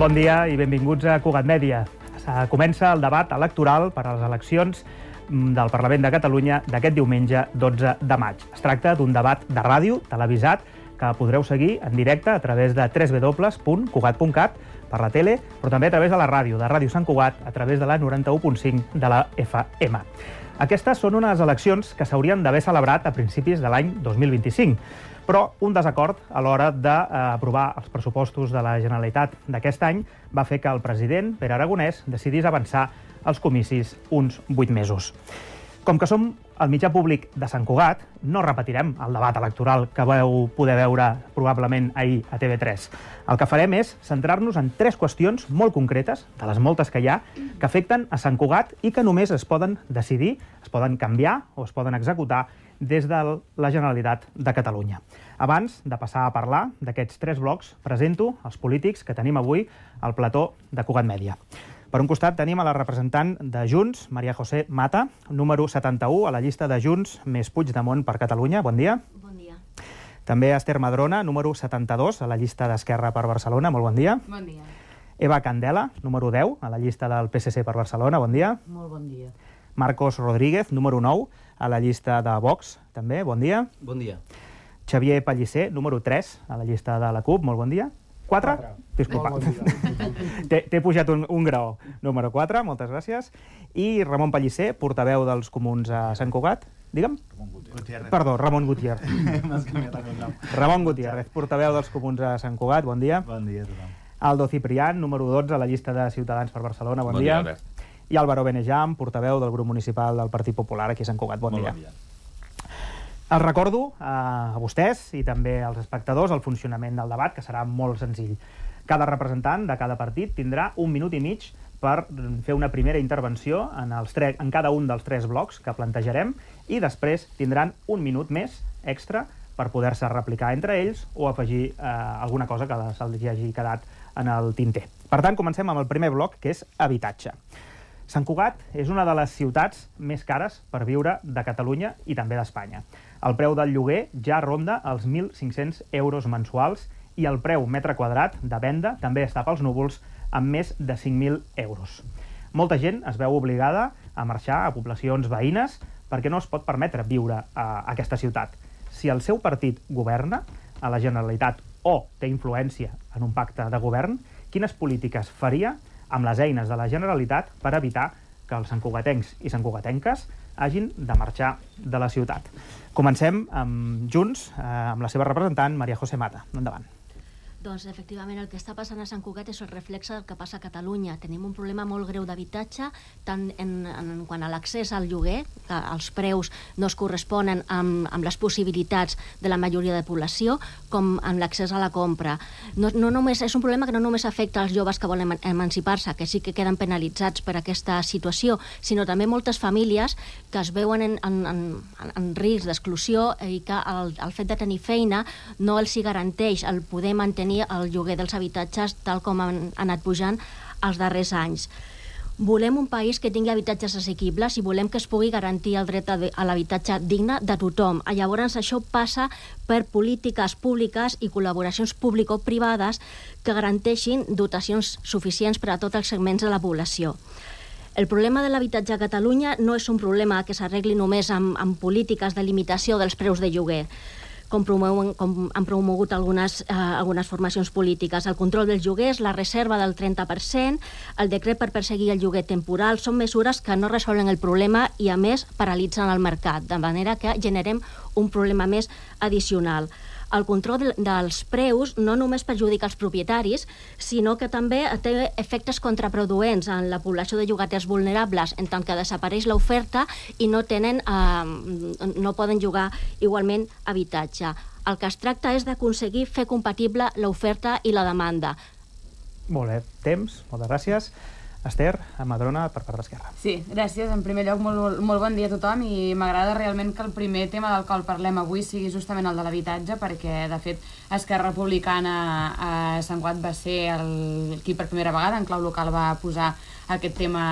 Bon dia i benvinguts a Cugat Mèdia. Comença el debat electoral per a les eleccions del Parlament de Catalunya d'aquest diumenge 12 de maig. Es tracta d'un debat de ràdio, televisat, que podreu seguir en directe a través de www.cugat.cat per la tele, però també a través de la ràdio, de Ràdio Sant Cugat, a través de la 91.5 de la FM. Aquestes són unes eleccions que s'haurien d'haver celebrat a principis de l'any 2025, però un desacord a l'hora d'aprovar els pressupostos de la Generalitat d'aquest any va fer que el president, Pere Aragonès, decidís avançar els comicis uns 8 mesos. Com que som el mitjà públic de Sant Cugat, no repetirem el debat electoral que vau poder veure probablement ahir a TV3. El que farem és centrar-nos en 3 qüestions molt concretes, de les moltes que hi ha, que afecten a Sant Cugat i que només es poden decidir, es poden canviar o es poden executar des de la Generalitat de Catalunya. Abans de passar a parlar d'aquests 3 blocs, presento els polítics que tenim avui al plató de Cugat Mèdia. Per un costat tenim a la representant de Junts, Maria José Mata, número 71 a la llista de Junts més Puigdemont per Catalunya. Bon dia. Bon dia. També Esther Madrona, número 72 a la llista d'Esquerra per Barcelona. Molt bon dia. Bon dia. Eva Candela, número 10 a la llista del PSC per Barcelona. Bon dia. Molt bon dia. Marcos Rodríguez, número 9 a la llista de Vox. També, bon dia. Bon dia. Xavier Pellicer, número 3 a la llista de la CUP. Molt bon dia. 4? Disculpa. T'he pujat un graó. Número 4, moltes gràcies. I Ramon Pellicer, portaveu dels Comuns a Sant Cugat. Digue'm? Perdó, Ramon Gutiérrez. M'has canviat el nom. Ramon Gutiérrez, portaveu dels Comuns a Sant Cugat. Bon dia. Bon dia a tothom. Aldo Ciprián, número 12 a la llista de Ciutadans per Barcelona. Bon dia. I Álvaro Benejam, portaveu del grup municipal del Partit Popular aquí a Sant Cugat. Bon dia. Els recordo a vostès i també als espectadors el funcionament del debat, que serà molt senzill. Cada representant de cada partit tindrà 1 minut i mig per fer una primera intervenció en cada un dels 3 blocs que plantejarem i després tindran 1 minut més extra per poder-se replicar entre ells o afegir alguna cosa que se'ls hagi quedat en el tinter. Per tant, comencem amb el primer bloc, que és habitatge. Sant Cugat és una de les ciutats més cares per viure de Catalunya i també d'Espanya. El preu del lloguer ja ronda els 1.500 euros mensuals i el preu metre quadrat de venda també està pels núvols amb més de 5.000 euros. Molta gent es veu obligada a marxar a poblacions veïnes perquè no es pot permetre viure a aquesta ciutat. Si el seu partit governa a la Generalitat o té influència en un pacte de govern, quines polítiques faria amb les eines de la Generalitat per evitar que els santcugatencs i santcugatenques hagin de marxar de la ciutat. Comencem amb Junts, amb la seva representant, Maria José Mata. Endavant. Doncs, efectivament, el que està passant a Sant Cugat és el reflexe del que passa a Catalunya. Tenim un problema molt greu d'habitatge, tant en quant a l'accés al lloguer, que els preus no es corresponen amb les possibilitats de la majoria de població, com amb l'accés a la compra. És un problema que no només afecta als joves que volen emancipar-se, que sí que queden penalitzats per aquesta situació, sinó també moltes famílies que es veuen en risc d'exclusió i que el fet de tenir feina no els hi garanteix el poder mantenir el lloguer dels habitatges tal com han anat pujant els darrers anys. Volem un país que tingui habitatges assequibles i volem que es pugui garantir el dret a l'habitatge digne de tothom. Llavors això passa per polítiques públiques i col·laboracions público-privades que garanteixin dotacions suficients per a tots els segments de la població. El problema de l'habitatge a Catalunya no és un problema que s'arregli només amb polítiques de limitació dels preus de lloguer, com han promogut algunes formacions polítiques. El control dels lloguers, la reserva del 30%, el decret per perseguir el lloguer temporal, són mesures que no resolen el problema i, a més, paralitzen el mercat, de manera que generem un problema més addicional. El control dels preus no només perjudica els propietaris, sinó que també té efectes contraproduents en la població de llogaters vulnerables, en tant que desapareix l'oferta i no poden llogar igualment habitatge. El que es tracta és d'aconseguir fer compatible l'oferta i la demanda. Molt bé, temps, moltes gràcies. Esther, Madrona, per part d'Esquerra. Sí, gràcies. En primer lloc, molt bon dia a tothom i m'agrada realment que el primer tema del qual parlem avui sigui justament el de l'habitatge, perquè, de fet, Esquerra Republicana a Sant Cugat va ser qui per primera vegada en clau local va posar aquest tema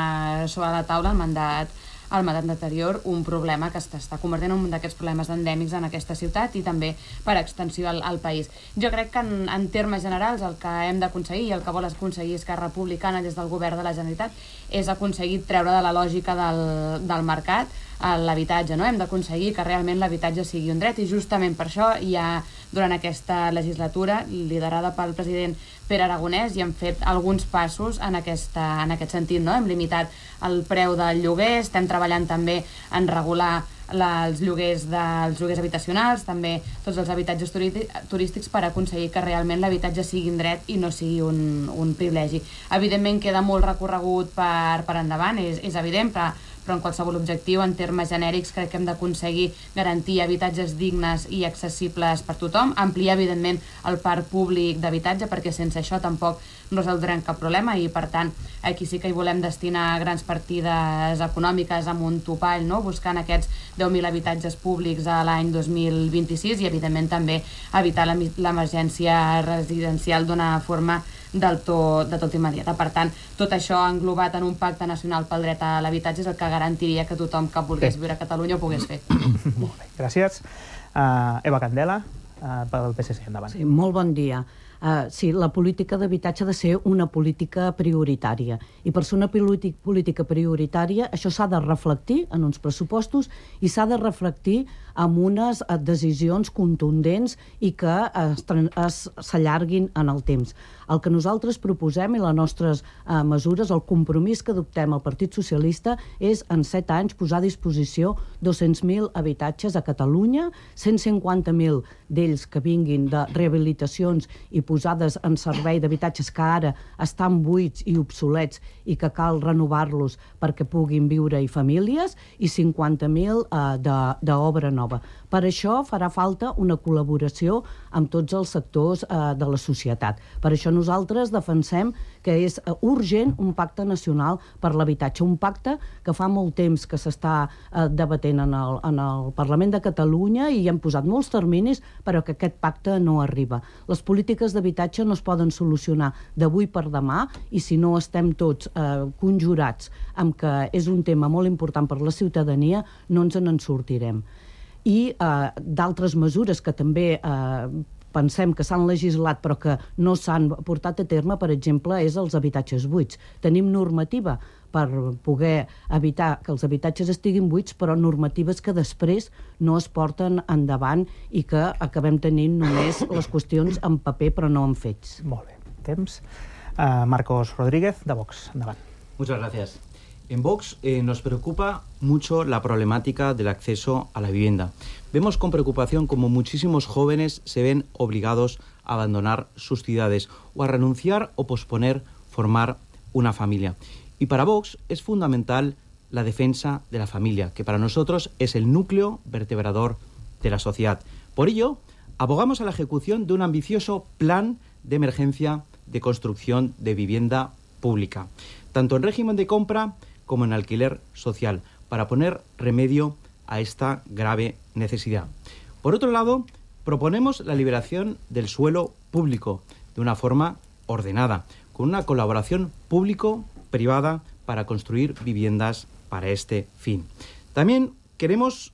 sobre la taula, el mandat al mandat anterior, un problema que està convertint en un d'aquests problemes endèmics en aquesta ciutat i també per extensió al país. Jo crec que en termes generals el que hem d'aconseguir i el que vol aconseguir Esquerra Republicana des del govern de la Generalitat és aconseguir treure de la lògica del mercat l'habitatge, no? Hem d'aconseguir que realment l'habitatge sigui un dret i justament per això ja durant aquesta legislatura, liderada pel president Pere Aragonès, i hem fet alguns passos en aquest sentit, no? Hem limitat el preu del lloguer, estem treballant també en regular els lloguers habitacionals, també tots els habitatges turístics per aconseguir que realment l'habitatge sigui un dret i no sigui un privilegi. Evidentment queda molt recorregut per endavant, és evident, però en qualsevol objectiu, en termes genèrics, crec que hem d'aconseguir garantir habitatges dignes i accessibles per tothom, ampliar, evidentment, el parc públic d'habitatge, perquè sense això tampoc resoldrem cap problema i, per tant, aquí sí que hi volem destinar grans partides econòmiques amb un topall, no? Buscant aquests 10.000 habitatges públics a l'any 2026 i, evidentment, també evitar l'emergència residencial d'una forma del tot immediata. Per tant, tot això englobat en un pacte nacional pel dret a l'habitatge és el que garantiria que tothom que volgués viure a Catalunya ho pogués fer. Molt bé, gràcies. Eva Candela, pel PSC, endavant. Sí, molt bon dia. Sí, la política d'habitatge ha de ser una política prioritària i per ser una política prioritària això s'ha de reflectir en uns pressupostos i s'ha de reflectir amb unes decisions contundents i que s'allarguin en el temps. El que nosaltres proposem i les nostres mesures, el compromís que adoptem al Partit Socialista és en 7 anys posar a disposició 200.000 habitatges a Catalunya, 150.000 d'ells que vinguin de rehabilitacions i posades en servei d'habitatges que ara estan buits i obsolets i que cal renovar-los perquè puguin viure-hi famílies i 50.000 d'obra nova. Per això farà falta una col·laboració amb tots els sectors de la societat. Per això nosaltres defensem que és urgent un pacte nacional per l'habitatge, un pacte que fa molt temps que s'està debatent en el Parlament de Catalunya i hem posat molts terminis però que aquest pacte no arriba. Les polítiques d'habitatge no es poden solucionar d'avui per demà i si no estem tots conjurats amb que és un tema molt important per la ciutadania no ens en sortirem. I d'altres mesures que també pensem que s'han legislat però que no s'han portat a terme, per exemple, és els habitatges buits. Tenim normativa per poder evitar que els habitatges estiguin buits, però normatives que després no es porten endavant i que acabem tenint només les qüestions en paper però no en fets. Molt bé. Temps. Marcos Rodríguez, de Vox. Endavant. Muchas gracias. En Vox nos preocupa mucho la problemática del acceso a la vivienda. Vemos con preocupación cómo muchísimos jóvenes se ven obligados a abandonar sus ciudades o a renunciar o posponer formar una familia. Y para Vox es fundamental la defensa de la familia, que para nosotros es el núcleo vertebrador de la sociedad. Por ello, abogamos a la ejecución de un ambicioso plan de emergencia de construcción de vivienda pública, tanto en régimen de compra como en alquiler social, para poner remedio a esta grave necesidad. Por otro lado, proponemos la liberación del suelo público de una forma ordenada, con una colaboración público-privada para construir viviendas para este fin. También queremos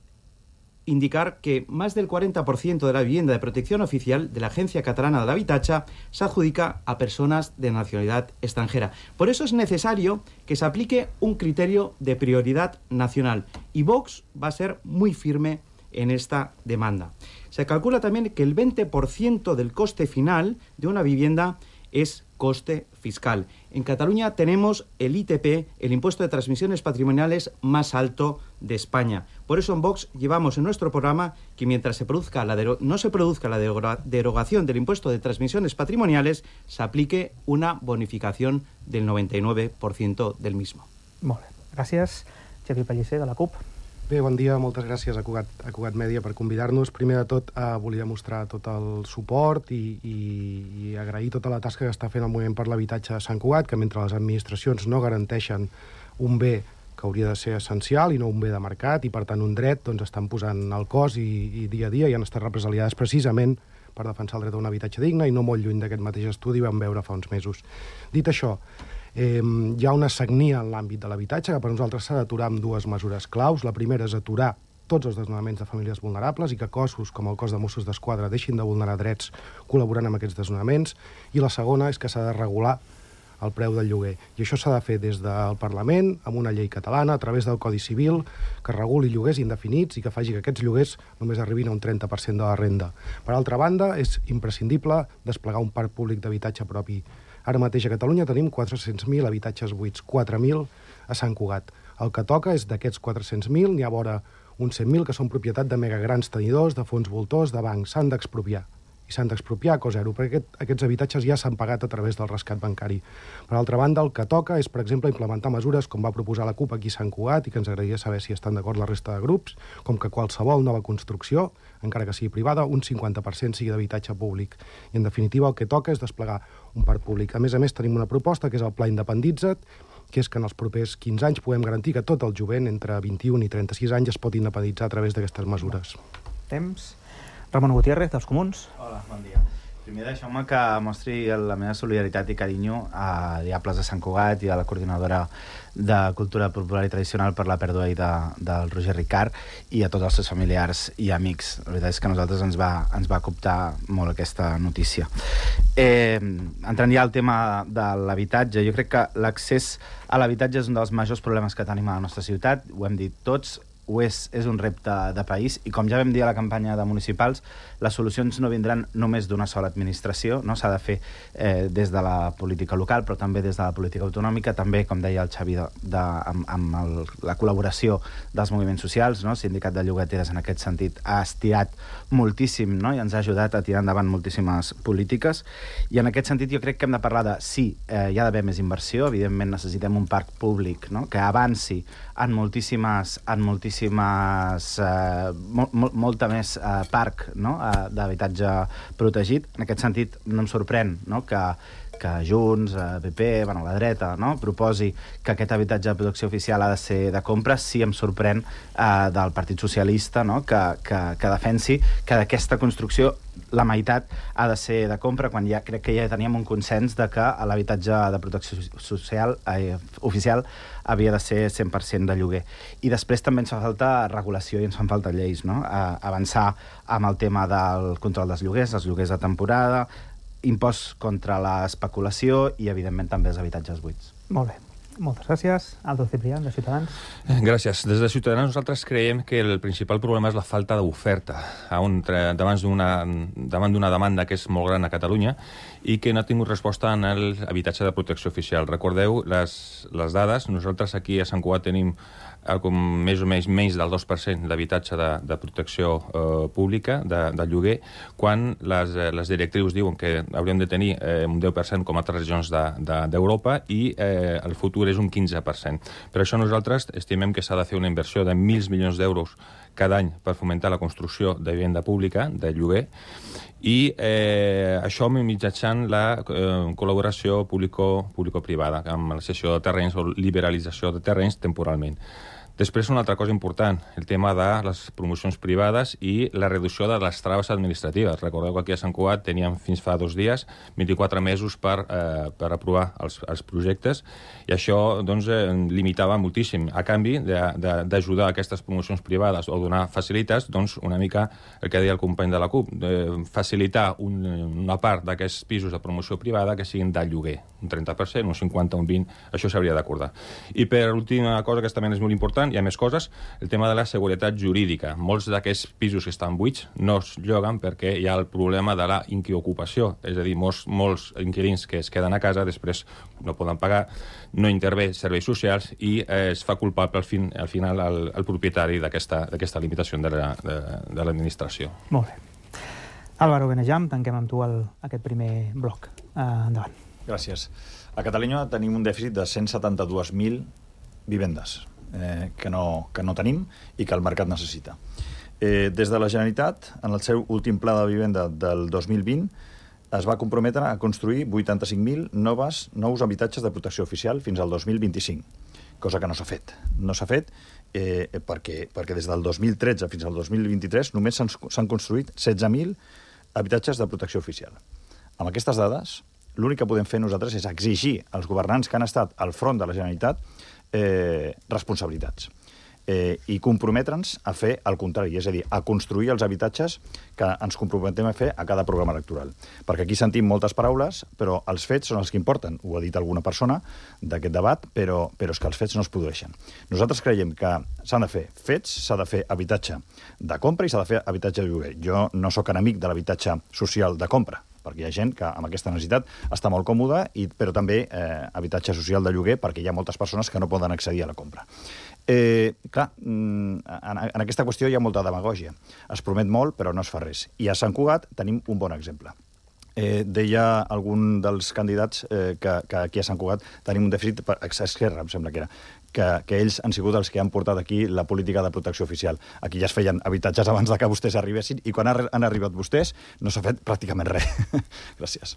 indicar que más del 40% de la vivienda de protección oficial de la Agencia Catalana de l'Habitatge se adjudica a personas de nacionalidad extranjera. Por eso es necesario que se aplique un criterio de prioridad nacional y Vox va a ser muy firme en esta demanda. Se calcula también que el 20% del coste final de una vivienda es coste fiscal. En Cataluña tenemos el ITP, el impuesto de transmisiones patrimoniales más alto de España. Por eso en Vox llevamos en nuestro programa que mientras no se produzca la derogación del impuesto de transmisiones patrimoniales, se aplique una bonificación del 99% del mismo. Molt bé. Gràcies. Xavier Pellicer, de la CUP. Bé, bon dia, moltes gràcies a Cugat Mèdia per convidar-nos. Primer de tot, volia mostrar tot el suport i agrair tota la tasca que està fent el Moviment per l'Habitatge a Sant Cugat, que mentre les administracions no garanteixen un bé que hauria de ser essencial i no un bé de mercat i, per tant, un dret, doncs estan posant el cos i dia a dia i han estat represaliades precisament per defensar el dret a un habitatge digne i no molt lluny d'aquest mateix estudi vam veure fa uns mesos. Dit això, Hi ha una sagnia en l'àmbit de l'habitatge que per nosaltres s'ha d'aturar amb dues mesures claus. La primera és aturar tots els desnonaments de famílies vulnerables i que cossos com el cos de Mossos d'Esquadra deixin de vulnerar drets col·laborant amb aquests desnonaments. I la segona és que s'ha de regular el preu del lloguer. I això s'ha de fer des del Parlament, amb una llei catalana, a través del Codi Civil, que reguli lloguers indefinits i que faci que aquests lloguers només arribin a un 30% de la renda. Per altra banda, és imprescindible desplegar un parc públic d'habitatge propi. Ara mateix a Catalunya tenim 400.000 habitatges buits, 4.000 a Sant Cugat. El que toca és d'aquests 400.000, n'hi ha vora uns 100.000 que són propietat de megagrans tenidors, de fons voltors, de bancs. S'han d'expropiar. I s'han d'expropiar a cost zero, perquè aquests habitatges ja s'han pagat a través del rescat bancari. Per altra banda, el que toca és, per exemple, implementar mesures com va proposar la CUP aquí a Sant Cugat i que ens agradaria saber si estan d'acord la resta de grups, com que qualsevol nova construcció, encara que sigui privada, un 50% sigui d'habitatge públic. I, en definitiva, el que toca és desplegar un parc públic. A més, tenim una proposta, que és el Pla Independitza't, que és que en els propers 15 anys puguem garantir que tot el jovent entre 21 i 36 anys es pot independitzar a través d'aquestes mesures. Temps. Ramon Gutiérrez, dels Comuns. Hola, bon dia. Primer deixeu-me que mostri la meva solidaritat i carinyo a Diables de Sant Cugat i a la coordinadora de Cultura Popular i Tradicional per la pèrdua del Roger Ricard i a tots els seus familiars i amics. La veritat és que a nosaltres ens va coptar molt aquesta notícia. Entrant ja al tema de l'habitatge, jo crec que l'accés a l'habitatge és un dels majors problemes que tenim a la nostra ciutat, ho hem dit tots, és un repte de país i com ja vam dir a la campanya de municipals, les solucions no vindran només d'una sola administració, no s'ha de fer des de la política local però també des de la política autonòmica, també com deia el Xavi amb la col·laboració dels moviments socials, no? El Sindicat de Llogateres en aquest sentit ha estirat moltíssim, no? I ens ha ajudat a tirar endavant moltíssimes polítiques i en aquest sentit jo crec que hem de parlar de hi ha d'haver més inversió, evidentment necessitem un parc públic, no? Que avanci en molta més parc, no? D'habitatge protegit. En aquest sentit no em sorprèn, no? que Junts, PP, la dreta, no? proposi que aquest habitatge de protecció oficial ha de ser de compra. Sí em sorprèn del Partit Socialista, no? que defensi que d'aquesta construcció la meitat ha de ser de compra, quan crec que ja teníem un consens de que l'habitatge de protecció social oficial havia de ser 100% de lloguer. I després també ens fa falta regulació i ens fan falta lleis, no? Avançar amb el tema del control dels lloguers, els lloguers de temporada, impost contra l'especulació i, evidentment, també els habitatges buits. Molt bé. Moltes gràcies. Aldo Ciprián, de Ciutadans. Gràcies. Des de Ciutadans nosaltres creiem que el principal problema és la falta d'oferta davant d'una demanda que és molt gran a Catalunya i que no ha tingut resposta en l'habitatge de protecció oficial. Recordeu les dades. Nosaltres aquí a Sant Cugat tenim més o menys del 2% d'habitatge de protecció pública, de lloguer, quan les directrius diuen que hauríem de tenir un 10% com a altres regions d'Europa i el futur és un 15%. Per això nosaltres estimem que s'ha de fer una inversió de 1.000 milions d'euros cada any per fomentar la construcció de vivenda pública, de lloguer, i això mitjançant la col·laboració público-privada, amb la cessió de terrenys o liberalització de terrenys temporalment. Després, una altra cosa important, el tema de les promocions privades i la reducció de les traves administratives. Recordeu que aquí a Sant Cugat teníem fins fa 2 dies 24 mesos per aprovar els projectes i això doncs, limitava moltíssim. A canvi d'ajudar aquestes promocions privades o donar facilitats, doncs, una mica el que deia el company de la CUP, facilitar una part d'aquests pisos de promoció privada que siguin de lloguer, un 30%, un 50%, un 20%, això s'hauria d'acordar. I per última cosa, que també és molt important, hi ha més coses, el tema de la seguretat jurídica. Molts d'aquests pisos que estan buits no es lloguen perquè hi ha el problema de la inquiocupació, és a dir, molts inquilins que es queden a casa després no poden pagar, no intervé serveis socials i es fa culpable al final el propietari d'aquesta limitació de l'administració. Molt bé. Álvaro Benejam, tanquem amb tu aquest primer bloc. Endavant. Gràcies. A Catalunya tenim un dèficit de 172.000 vivendes que no tenim i que el mercat necessita. Des de la Generalitat, en el seu últim pla de vivenda del 2020, es va comprometre a construir 85.000 nous habitatges de protecció oficial fins al 2025, cosa que no s'ha fet. No s'ha fet perquè des del 2013 fins al 2023 només s'han construït 16.000 habitatges de protecció oficial. Amb aquestes dades, l'únic que podem fer nosaltres és exigir als governants que han estat al front de la Generalitat responsabilitats. I comprometre'ns a fer el contrari, és a dir, a construir els habitatges que ens comprometem a fer a cada programa electoral. Perquè aquí sentim moltes paraules, però els fets són els que importen. Ho ha dit alguna persona d'aquest debat, però és que els fets no es produeixen. Nosaltres creiem que s'han de fer fets, s'ha de fer habitatge de compra i s'ha de fer habitatge de lloguer. Jo no sóc enemic de l'habitatge social de compra, perquè hi ha gent que amb aquesta necessitat està molt còmoda, però també habitatge social de lloguer perquè hi ha moltes persones que no poden accedir a la compra. Clar, en aquesta qüestió hi ha molta demagògia. Es promet molt, però no es fa res. I a Sant Cugat tenim un bon exemple. Deia algun dels candidats que aquí a Sant Cugat tenim un dèficit, Esquerra, em sembla que era, que ells han sigut els que han portat aquí la política de protecció oficial. Aquí ja es feien habitatges abans de que vostès arribessin i quan han arribat vostès no s'ha fet pràcticament res. Gràcies.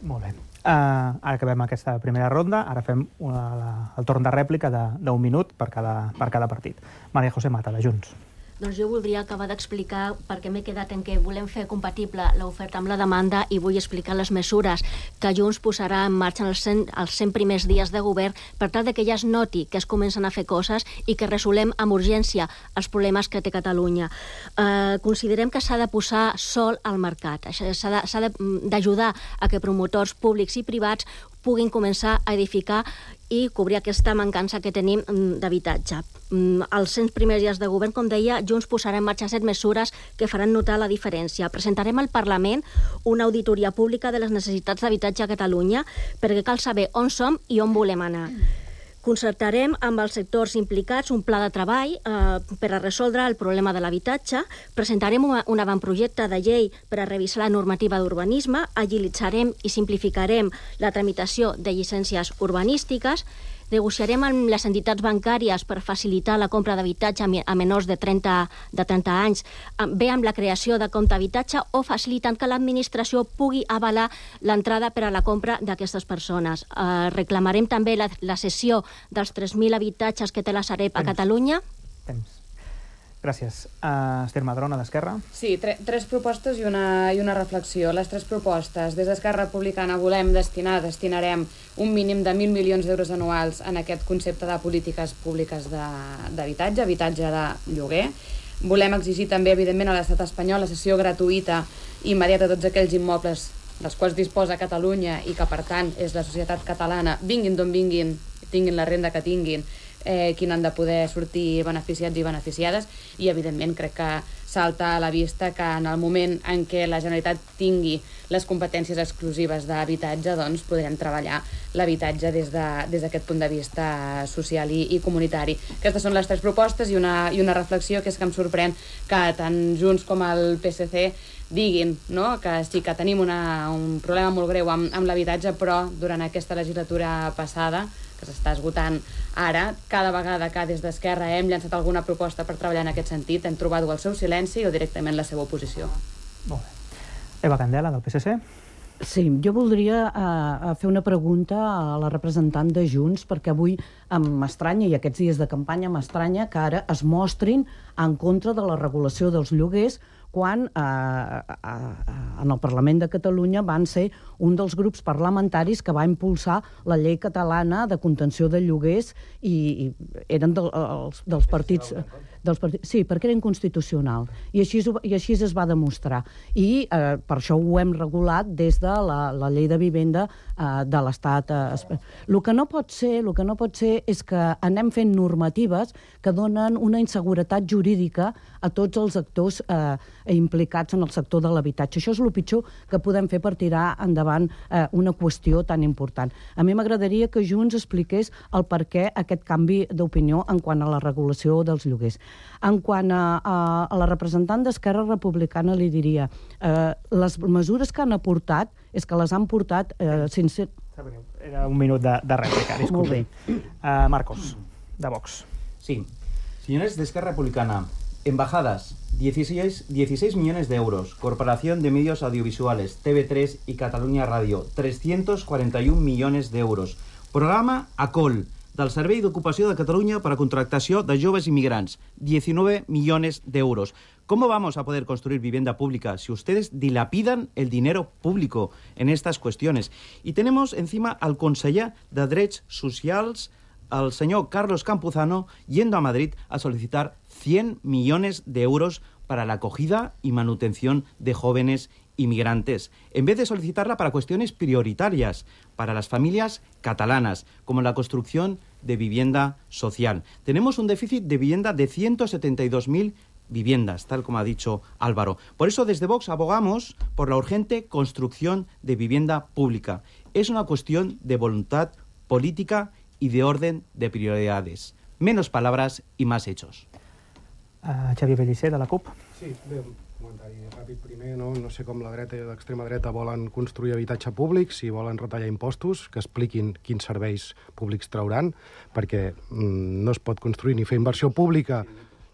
Molt bé. Ara acabem aquesta primera ronda. Ara fem el torn de rèplica d'un minut per cada partit. Maria José Mata, de Junts. Doncs jo voldria acabar d'explicar perquè m'he quedat en què volem fer compatible l'oferta amb la demanda i vull explicar les mesures que Junts posarà en marxa en els 100 primers dies de govern per tal que ja es noti que es comencen a fer coses i que resolem amb urgència els problemes que té Catalunya. Considerem que s'ha de posar sol al mercat. S'ha d'ajudar a que promotors públics i privats puguin començar a edificar i cobrir aquesta mancança que tenim d'habitatge. Els 100 primers dies de govern, com deia, Junts posarà en marxa 7 mesures que faran notar la diferència. Presentarem al Parlament una auditoria pública de les necessitats d'habitatge a Catalunya perquè cal saber on som i on volem anar. Concertarem amb els sectors implicats un pla de treball per a resoldre el problema de l'habitatge. Presentarem un avantprojecte de llei per a revisar la normativa d'urbanisme. Agilitzarem i simplificarem la tramitació de llicències urbanístiques. Negociarem amb les entitats bancàries per facilitar la compra d'habitatge a menors de 30 anys, bé amb la creació de compte d'habitatge o facilitant que l'administració pugui avalar l'entrada per a la compra d'aquestes persones. Reclamarem també la cessió dels 3.000 habitatges que té la Sareb a Catalunya. Gràcies. Esther Madrona, d'Esquerra. Sí, 3 propostes i una reflexió. Les 3 propostes. Des d'Esquerra Republicana destinarem un mínim de 1.000 milions d'euros anuals en aquest concepte de polítiques públiques d'habitatge, habitatge de lloguer. Volem exigir també, evidentment, a l'estat espanyol la cessió gratuïta i immediata de tots aquells immobles dels quals disposa Catalunya i que, per tant, és la societat catalana, vinguin d'on vinguin, tinguin la renda que tinguin, qui n'han de poder sortir beneficiats i beneficiades, i evidentment crec que salta a la vista que en el moment en què la Generalitat tingui les competències exclusives d'habitatge, doncs podrem treballar l'habitatge des d'aquest punt de vista social i comunitari. Aquestes són les 3 propostes i una reflexió, que és que em sorprèn que tant Junts com el PSC diguin que sí que tenim un problema molt greu amb l'habitatge, però durant aquesta legislatura passada, que s'està esgotant ara, cada vegada que des d'Esquerra hem llançat alguna proposta per treballar en aquest sentit, hem trobat el seu silenci o directament la seva oposició. Molt bé. Eva Candela, del PSC. Sí, jo voldria fer una pregunta a la representant de Junts, perquè avui m'estranya, i aquests dies de campanya m'estranya, que ara es mostrin en contra de la regulació dels lloguers quan en el Parlament de Catalunya van ser un dels grups parlamentaris que va impulsar la llei catalana de contenció de lloguers i eren dels partits... Sí, perquè era inconstitucional. I així es va demostrar. I per això ho hem regulat des de la llei de vivenda de l'Estat. El que no pot ser és que anem fent normatives que donen una inseguretat jurídica a tots els actors implicats en el sector de l'habitatge. Això és el pitjor que podem fer per tirar endavant una qüestió tan important. A mi m'agradaria que Junts expliqués el per què aquest canvi d'opinió en quant a la regulació dels lloguers. En quant a la representant d'Esquerra Republicana li diria les mesures que han aportat és que les han portat sense... Era un minut de rèplica, disculpi. Marcos, de Vox. Sí. Señores de Esquerra Republicana, embajadas, 16 millones de euros. Corporación de Medios Audiovisuales, TV3 y Catalunya Radio, 341 millones de euros. Programa ACOL, del Servei d'Ocupació de Catalunya para contratació de joves inmigrantes, 19 millones de euros. ¿Cómo vamos a poder construir vivienda pública si ustedes dilapidan el dinero público en estas cuestiones? Y tenemos encima al conseller de Drets Socials, al señor Carlos Campuzano, yendo a Madrid a solicitar 100 millones de euros para la acogida y manutención de jóvenes inmigrantes, en vez de solicitarla para cuestiones prioritarias para las familias catalanas, como la construcción de vivienda social. Tenemos un déficit de vivienda de 172.000 viviendas, tal como ha dicho Álvaro. Por eso, desde Vox abogamos por la urgente construcción de vivienda pública. Es una cuestión de voluntad política y de orden de prioridades. Menos palabras y más hechos. Xavier Pellicer, de la CUP. Sí, bé, un comentari ràpid primer. No sé com la dreta i l'extrema dreta volen construir habitatge públic, si volen retallar impostos, que expliquin quins serveis públics trauran, perquè no es pot construir ni fer inversió pública.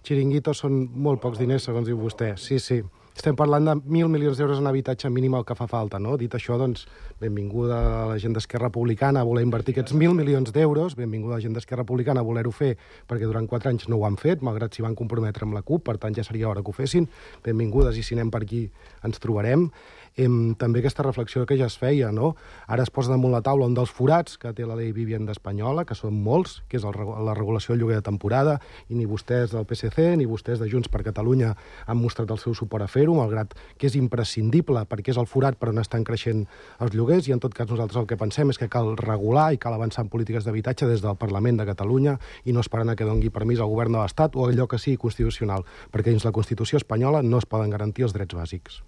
Xiringuitos són molt pocs diners, segons diu vostè. Sí. Estem parlant de 1.000 milions d'euros en habitatge mínim el que fa falta, no? Dit això, doncs, benvinguda a la gent d'Esquerra Republicana a voler invertir aquests 1.000 milions d'euros, benvinguda a la gent d'Esquerra Republicana a voler-ho fer, perquè durant 4 anys no ho han fet, malgrat s'hi van comprometre amb la CUP, per tant ja seria hora que ho fessin. Benvingudes, i si anem per aquí ens trobarem. També aquesta reflexió que ja es feia, no? Ara es posa damunt la taula un dels forats que té la llei Vivienda espanyola, que són molts, que és la regulació del lloguer de temporada, i ni vostès del PSC ni vostès de Junts per Catalunya han mostrat el seu suport a fer-ho, malgrat que és imprescindible perquè és el forat per on estan creixent els lloguers, i en tot cas nosaltres el que pensem és que cal regular i cal avançar en polítiques d'habitatge des del Parlament de Catalunya i no esperant a que doni permís al govern de l'Estat o allò que sigui constitucional, perquè dins la Constitució espanyola no es poden garantir els drets bàsics.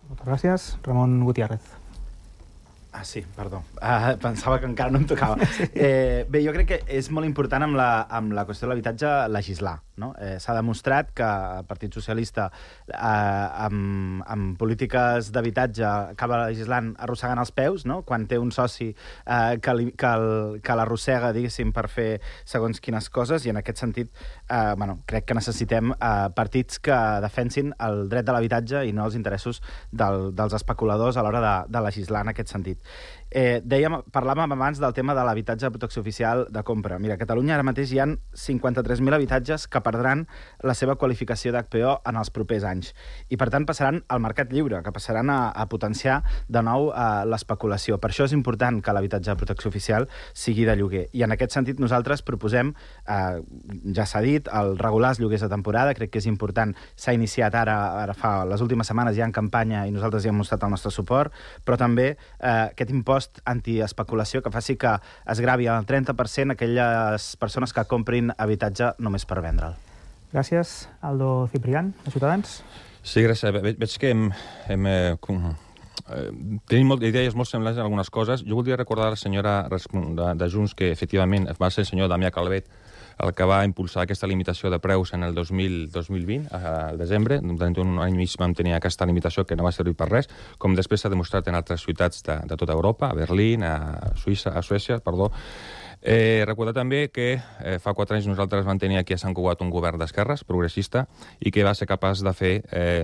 Moltes gràcies. Ramon Gutiérrez. Sí, perdó. Pensava que encara no em tocava. Bé, jo crec que és molt important amb la qüestió de l'habitatge legislar, no? S'ha demostrat que el Partit Socialista amb polítiques d'habitatge acaba legislant arrossegant els peus, no? Quan té un soci que l'arrossega, diguéssim, per fer segons quines coses, i en aquest sentit crec que necessitem partits que defensin el dret de l'habitatge i no els interessos dels especuladors a l'hora de legislar en aquest sentit. Parlàvem abans del tema de l'habitatge de protecció oficial de compra. Mira, a Catalunya ara mateix hi ha 53.000 habitatges que perdran la seva qualificació d'HPO en els propers anys. I, per tant, passaran al mercat lliure, que passaran a potenciar de nou l'especulació. Per això és important que l'habitatge de protecció oficial sigui de lloguer. I en aquest sentit nosaltres proposem, ja s'ha dit, el regular els lloguers de temporada. Crec que és important. S'ha iniciat ara fa les últimes setmanes ja en campanya i nosaltres ja hem mostrat el nostre suport, però també aquest impost antiespeculació que faci que es gravi al 30% aquelles persones que comprin habitatge només per vendre'l. Gràcies. Aldo Ciprián, de Ciutadans. Sí, gràcies. Veig que tenim idees molt semblants en algunes coses. Jo voldria recordar a la senyora de Junts que efectivament va ser el senyor Damià Calvet el que va impulsar aquesta limitació de preus en el 2020, al desembre. Durant un any i mig vam tenir aquesta limitació que no va servir per res, com després s'ha demostrat en altres ciutats de tota Europa, a Berlín, a Suècia. Recordar també que fa 4 anys nosaltres vam tenir aquí a Sant Cugat un govern d'esquerres, progressista, i que va ser capaç de fer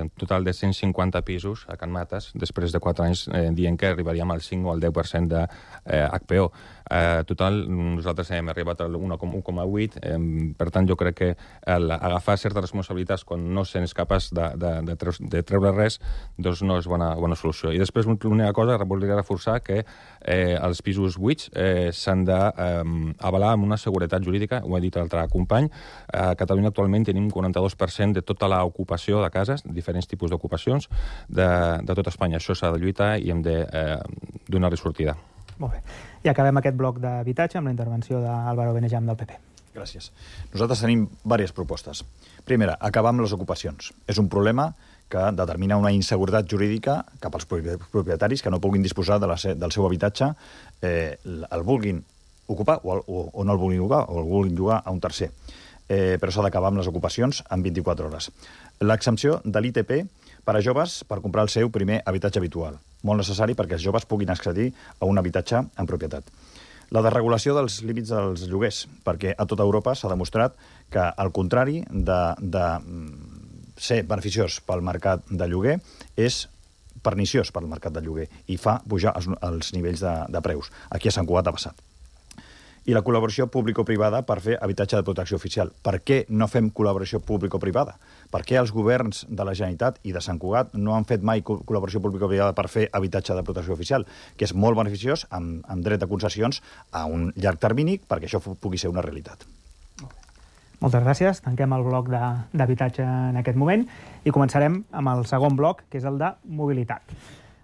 un total de 150 pisos a Can Mates, després de 4 anys dient que arribaríem al 5 o al 10% de HPO. Total, nosaltres hem arribat al 1,8. Per tant, jo crec que agafar certes responsabilitats quan no se'ns capaç de treure res, doncs no és bona solució. I després, l'única cosa, voldria reforçar que els pisos buits s'han d'avalar amb una seguretat jurídica, ho he dit l'altre company. A Catalunya actualment tenim un 42% de tota l'ocupació de cases, diferents tipus d'ocupacions, de tot Espanya. Això s'ha de lluitar i hem de donar-li sortida. Molt bé. I acabem aquest bloc d'habitatge amb la intervenció d'Álvaro Benejam del PP. Gràcies. Nosaltres tenim diverses propostes. Primera, acabar amb les ocupacions. És un problema que determina una inseguretat jurídica cap als propietaris que no puguin disposar del seu habitatge, el vulguin ocupar o no el vulguin ocupar, o el vulguin llogar a un tercer. Però s'ha d'acabar amb les ocupacions en 24 hores. L'exempció de l'ITP per a joves per comprar el seu primer habitatge habitual. Molt necessari perquè els joves puguin accedir a un habitatge en propietat. La desregulació dels límits dels lloguers, perquè a tota Europa s'ha demostrat que, al contrari de ser beneficiós pel mercat de lloguer, és perniciós pel mercat de lloguer i fa pujar els nivells de preus. Aquí a Sant Cugat ha passat. I la col·laboració público-privada per fer habitatge de protecció oficial. Per què no fem col·laboració público-privada? Per què els governs de la Generalitat i de Sant Cugat no han fet mai col·laboració público-privada per fer habitatge de protecció oficial, que és molt beneficiós, amb dret de concessions a un llarg termini, perquè això pugui ser una realitat. Moltes gràcies. Tanquem el bloc d'habitatge en aquest moment i començarem amb el segon bloc, que és el de mobilitat.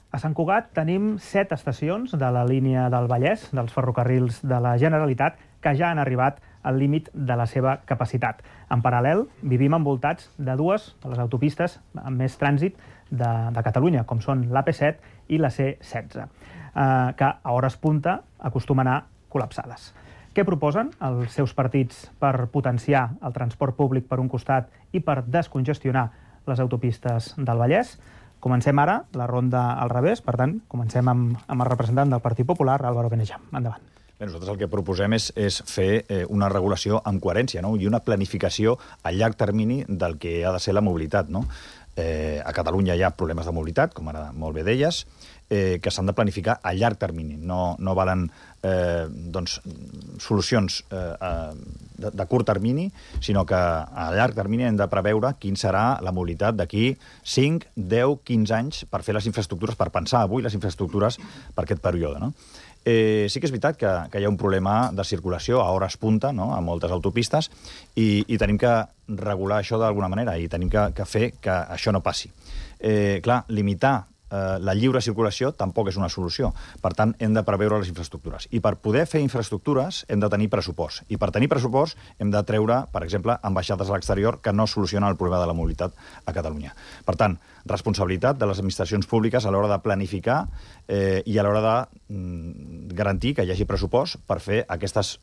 A Sant Cugat tenim 7 estacions de la línia del Vallès, dels ferrocarrils de la Generalitat, que ja han arribat al límit de la seva capacitat. En paral·lel, vivim envoltats de 2 de les autopistes amb més trànsit de Catalunya, com són l'AP7 i la C16, que a hores punta acostumen a col·lapsades. Què proposen els seus partits per potenciar el transport públic per un costat i per descongestionar les autopistes del Vallès? Comencem ara la ronda al revés, per tant, comencem amb el representant del Partit Popular, Álvaro Benejam. Endavant. Bé, nosaltres el que proposem és fer una regulació amb coherència, no? I una planificació a llarg termini del que ha de ser la mobilitat, no? A Catalunya hi ha problemes de mobilitat, com ara molt bé deies, que s'han de planificar a llarg termini. No valen solucions de curt termini, sinó que a llarg termini hem de preveure quin serà la mobilitat d'aquí 5, 10, 15 anys per fer les infraestructures, per pensar avui les infraestructures per aquest període, no? Sí que és veritat que hi ha un problema de circulació a hores punta, no?, a moltes autopistes, i tenim que regular això d'alguna manera i tenim que fer que això no passi. Clar, limitar la lliure circulació tampoc és una solució. Per tant, hem de preveure les infraestructures. I per poder fer infraestructures hem de tenir pressupost. I per tenir pressupost hem de treure, per exemple, ambaixades a l'exterior que no solucionen el problema de la mobilitat a Catalunya. Per tant, responsabilitat de les administracions públiques a l'hora de planificar i a l'hora de garantir que hi hagi pressupost per fer aquestes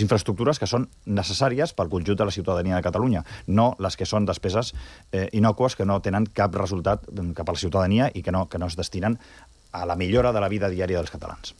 infraestructures que són necessàries pel conjunt de la ciutadania de Catalunya, no les que són despeses innòcues que no tenen cap resultat cap a la ciutadania i que no es destinen a la millora de la vida diària dels catalans.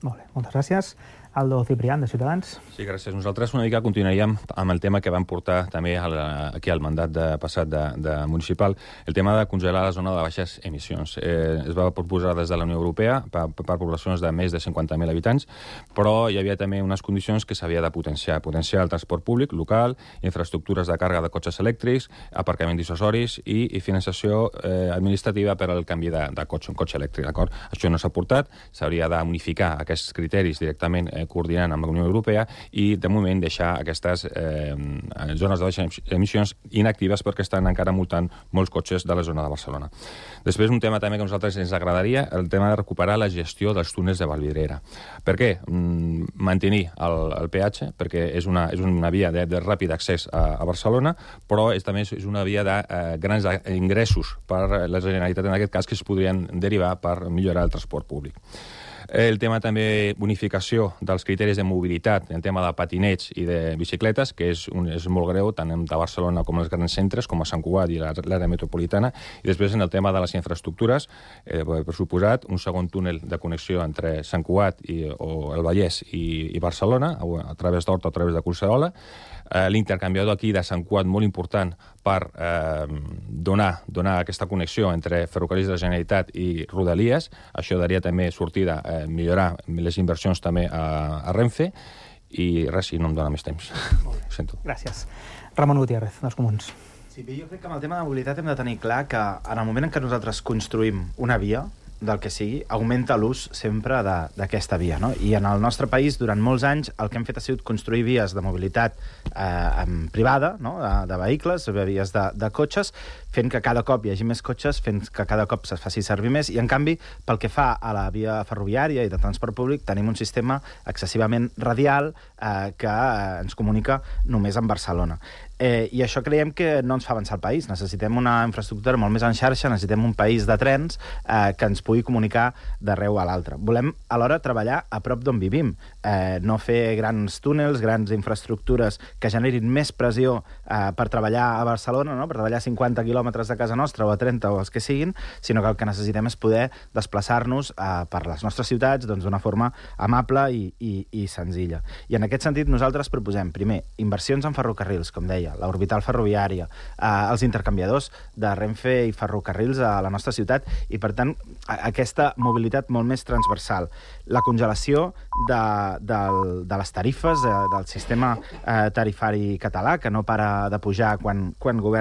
Molt bé, moltes gràcies. Aldo Ciprián, de Ciutadans. Sí, gràcies. Nosaltres una mica continuaríem amb el tema que vam portar també aquí al mandat passat de municipal, el tema de congelar la zona de baixes emissions. Es va proposar des de la Unió Europea per poblacions de més de 50.000 habitants, però hi havia també unes condicions que s'havia de potenciar el transport públic local, infraestructures de càrrega de cotxes elèctrics, aparcament dissuasoris i finançació administrativa per al canvi de cotxe, un cotxe elèctric, d'acord? Això no s'ha portat, s'hauria d'unificar aquests criteris directament coordinant amb la Unió Europea i, de moment, deixar aquestes zones de baixes emissions inactives perquè estan encara multant molts cotxes de la zona de Barcelona. Després, un tema també que a nosaltres ens agradaria, el tema de recuperar la gestió dels túnels de Vallvidrera. Per què? Mantenir el peatge, perquè és una via de ràpid accés a Barcelona, però també és una via de grans ingressos per la Generalitat, en aquest cas, que es podrien derivar per millorar el transport públic. El tema també unificació dels criteris de mobilitat, el tema de patinets i de bicicletes, que és molt greu, tant a Barcelona com als grans centres, com a Sant Cugat i l'àrea metropolitana. I després, en el tema de les infraestructures, per suposat, un segon túnel de connexió entre Sant Cugat o el Vallès i Barcelona, a través d'Horta o a través de Collserola, l'intercanviador aquí de Sant Cugat molt important per donar aquesta connexió entre ferrocarrils de la Generalitat i Rodalies. Això daria també sortida a millorar les inversions també a Renfe i res, si no em dóna més temps. Ho sento. Gràcies. Ramon Gutiérrez, dels Comuns. Sí, jo crec que amb el tema de mobilitat hem de tenir clar que en el moment en què nosaltres construïm una via, del que sigui, augmenta l'ús sempre d'aquesta via, no? I en el nostre país, durant molts anys, el que hem fet ha sigut construir vies de mobilitat privada, no?, de vehicles, vies de cotxes, fent que cada cop hi hagi més cotxes, fent que cada cop es faci servir més, i en canvi, pel que fa a la via ferroviària i de transport públic, tenim un sistema excessivament radial que ens comunica només amb Barcelona. I això creiem que no ens fa avançar el país. Necessitem una infraestructura molt més en xarxa, necessitem un país de trens que ens pugui comunicar d'arreu a l'altre. Volem, alhora, treballar a prop d'on vivim, no fer grans túnels, grans infraestructures que generin més pressió per treballar a Barcelona, no?, per treballar a 50 quilòmetres de casa nostra o a 30 o els que siguin, sinó que el que necessitem és poder desplaçar-nos per les nostres ciutats d'una forma amable i senzilla. I en aquest sentit nosaltres proposem, primer, inversions en ferrocarrils, com deia, ferroviària, l'orbital ferroviària, els intercanviadors de Renfe i ferrocarrils a la nostra ciutat, i per tant aquesta mobilitat molt més transversal. La congelació de les tarifes del sistema tarifari català, que no para de pujar quan governa